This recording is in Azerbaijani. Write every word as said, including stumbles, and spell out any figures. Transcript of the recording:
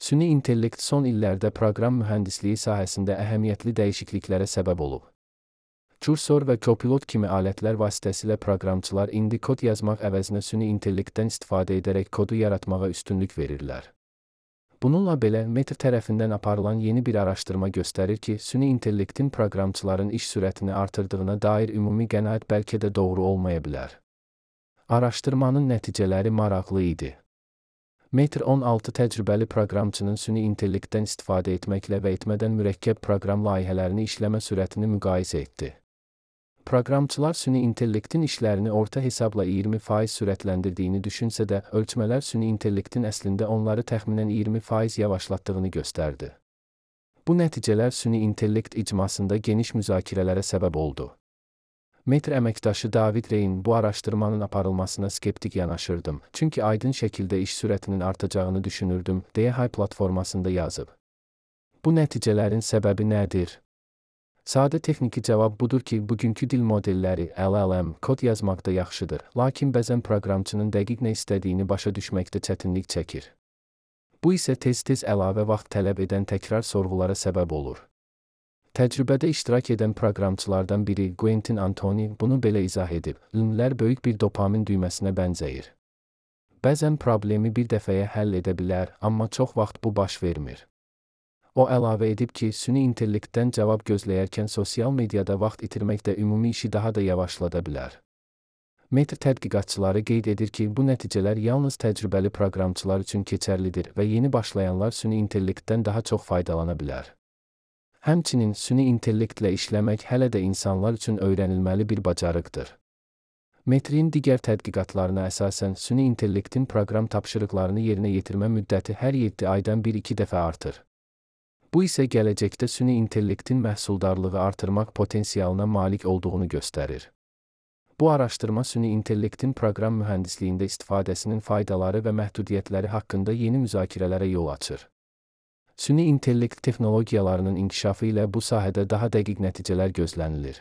Süni intellekt son illərdə proqram mühəndisliyi sahəsində əhəmiyyətli dəyişikliklərə səbəb olub. Cursor və Copilot kimi alətlər vasitəsilə proqramçılar indi kod yazmaq əvəzinə süni intellektdən istifadə edərək kodu yaratmağa üstünlük verirlər. Bununla belə, Meta tərəfindən aparılan yeni bir araşdırma göstərir ki, süni intellektin proqramçıların iş sürətini artırdığına dair ümumi qənaət bəlkə də doğru olmaya bilər. Araşdırmanın nəticələri maraqlı idi. Meta on altı təcrübəli proqramçının süni intellektdən istifadə etməklə və etmədən mürəkkəb proqram layihələrini işləmə sürətini müqayisə etdi. Proqramçılar süni intellektin işlərini orta hesabla iyirmi faiz sürətləndirdiyini düşünsə də, ölçmələr süni intellektin əslində onları təxminən iyirmi faiz yavaşlatdığını göstərdi. Bu nəticələr süni intellekt icmasında geniş müzakirələrə səbəb oldu. Meta əməkdaşı David Reyn bu araşdırmanın aparılmasına skeptik yanaşırdım, çünki aydın şəkildə iş sürətinin artacağını düşünürdüm, deyə Hay platformasında yazıb. Bu nəticələrin səbəbi nədir? Sadə texniki cavab budur ki, bugünkü dil modelləri L L M kod yazmaqda yaxşıdır, lakin bəzən proqramçının dəqiq nə istədiyini başa düşməkdə çətinlik çəkir. Bu isə tez-tez əlavə vaxt tələb edən təkrar sorğulara səbəb olur. Təcrübədə iştirak edən proqramçılardan biri Quentin Antoni bunu belə izah edib: "L-lər böyük bir dopamin düyməsinə bənzəyir. Bəzən problemi bir dəfəyə həll edə bilər, amma çox vaxt bu baş vermir." O əlavə edib ki, süni intellektdən cavab gözləyərkən sosial mediada vaxt itirmək də ümumi işi daha da yavaşlada bilər. Meta tədqiqatçıları qeyd edir ki, bu nəticələr yalnız təcrübəli proqramçılar üçün keçərlidir və yeni başlayanlar süni intellektdən daha çox faydalana bilər. Həmçinin, süni intellektlə işləmək hələ də insanlar üçün öyrənilməli bir bacarıqdır. Metrin digər tədqiqatlarına əsasən, süni intellektin proqram tapşırıqlarını yerinə yetirmə müddəti hər yeddi aydan bir-iki dəfə artır. Bu isə gələcəkdə süni intellektin məhsuldarlığı artırmaq potensialına malik olduğunu göstərir. Bu araşdırma süni intellektin proqram mühəndisliyində istifadəsinin faydaları və məhdudiyyətləri haqqında yeni müzakirələrə yol açır. Süni intellekt texnologiyalarının inkişafı ilə bu sahədə daha dəqiq nəticələr gözlənilir.